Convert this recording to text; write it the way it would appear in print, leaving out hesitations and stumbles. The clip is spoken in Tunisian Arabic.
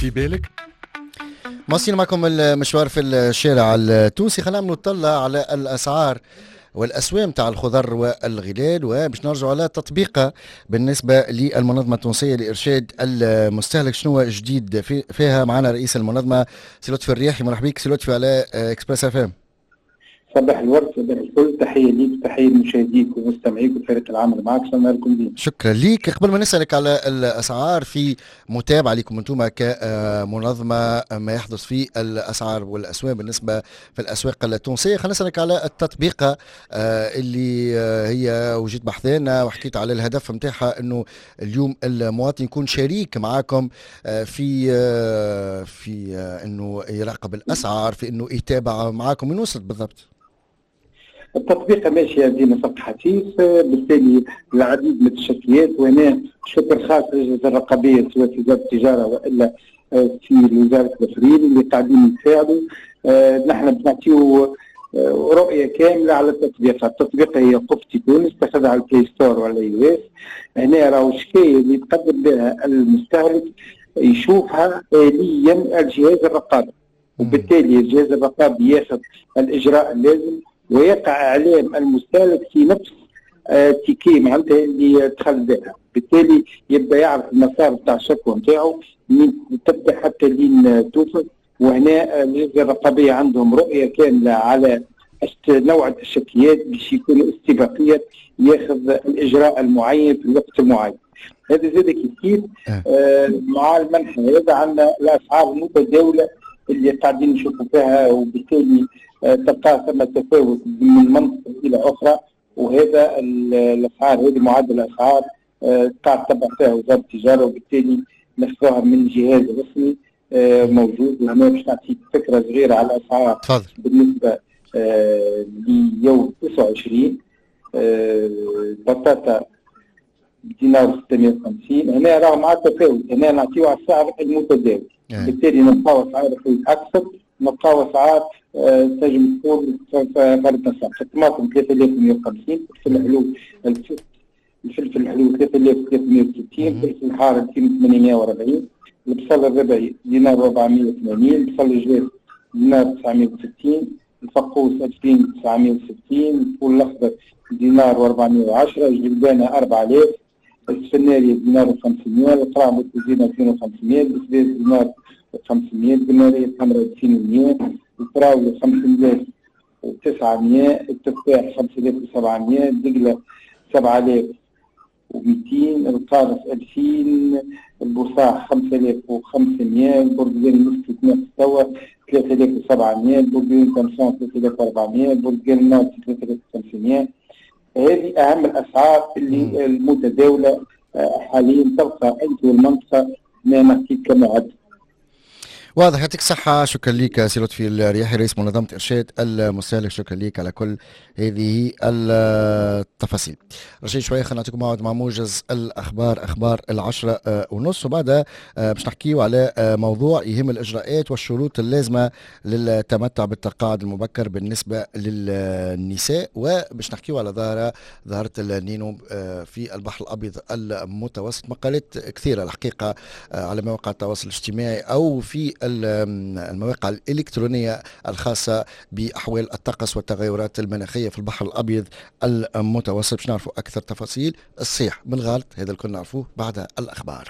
في بالك. مواصلين معكم المشوار في الشارع التونسي. خلينا نعملوا طلة على الأسعار والأسوام تاع الخضر والغلال، وباش نرجعوا على تطبيقه بالنسبة للمنظمة التونسية لإرشاد المستهلك، شنو جديد فيها؟ معنا رئيس المنظمة سي لطفي الرياحي. مرحبا بك سي لطفي على Express FM. صباح الورد، صباح الفل، تحية ليك، تحية لمشاهديك ومستمعيك وفريق العمل معك، شكرا لكم ديما. شكرا ليك. قبل ما نسألك على الأسعار، في متابعة لكم أنتم كمنظمة ما يحدث في الأسعار والأسواق بالنسبة في الأسواق التونسية، خلينا نسألك على التطبيقة اللي هي وجيت بحثنا وحكيت على الهدف نتاعها، أنه اليوم المواطن يكون شريك معاكم في أنه يراقب الأسعار، في أنه يتابع معاكم. وين وصلت بالضبط؟ التطبيق ماشية ديما سبق حثيث، بالتالي العديد من التشكيات، وهنا شكر خاص للجنة الرقابية سواء في وزارة التجارة والا في وزارة التفريغ اللي قاعدين يساعدوا. نحن بنعطيو رؤية كاملة على التطبيق. التطبيق هي قفتي تونس، تاخذها على ال Play Store ولا iOS. هنا راهو الشكاية اللي يتقدم بها المستهلك يشوفها آليا الجهاز الرقابي، وبالتالي الجهاز الرقابي ياخذ الإجراء اللازم ويقع اعلام المستهلك في نفس ticket معناتها اللي دخل بها، بالتالي يبدا يعرف المسار بتاع الشكوى نتاعو من تبدا حتى لين توصل. وهنا اللجنة الرقابية عندهم رؤية كاملة على نوع التشكيات باش يكون استباقية ياخذ الاجراء المعين في الوقت المعين. هذا زاد كيف كيف مع المنحى هذا عندنا الاسعار المتداولة اللي قاعدين نشوفوا فيها، وبالتالي تلقى ثم تفاوت من منطقة الى اخرى، وهذا الاسعار هذه معدل الاسعار قاعد تتبع فيها وزارة التجارة، وبالتالي ناخذوها من جهاز رسمي موجود. وهنا باش نعطيك فكرة صغيرة على الاسعار. تفضل. بالنسبة ليوم 29، البطاطا بدينار 650. هنا راه مع التفاوت، هنا نعطيو على السعر المتداول، بالتالي نلقاو اسعار اكثر، نلقاو اسعار تنجم تكون فرد نسق. الطماطم 3150، الفلفل الحلو الفلفل الحلو 3360، الفلفل الحار 2840، البصل الربعي دينار 480، البصل الجاف دينار 960، الفقوس 2960، الفول الاخضر دينار 410، الجلبانه 4000، السفناري دينار 500، القرع دينار 2500، البسباس دينار 500، البنارية الحمراء 2100، الفراولة 5900، التفاح 5700، الدقلة 7200، القارص 2000، البصاح 5500، البرتقال المسكي توا 3700، البرتقال تامسون 3400، البرتقال الناطي 3500. هذه أهم الأسعار اللي المتداولة حاليا تلقى أنت والمنطقة ما نعطيك كمعدل. واضح، يعطيك الصحة. شكرا لك سي لطفي الرياحي رئيس منظمة إرشاد المستهلك، شكرا لك على كل هذه التفاصيل. رجعي شوية خلينا نعطيكم موعد مع موجز الأخبار، أخبار 10:30، وبعدها باش نحكيو على موضوع يهم الإجراءات والشروط اللازمة للتمتع بالتقاعد المبكر بالنسبة للنساء، وباش نحكيو على ظاهرة النينو في البحر الأبيض المتوسط. مقالات كثيرة الحقيقة على مواقع التواصل الاجتماعي أو في المواقع الإلكترونية الخاصة بأحوال الطقس والتغيرات المناخية في البحر الأبيض المتوسط، باش نعرفوا أكثر تفاصيل. الصحيح من الغلط هذا الكل نعرفوه بعد الأخبار.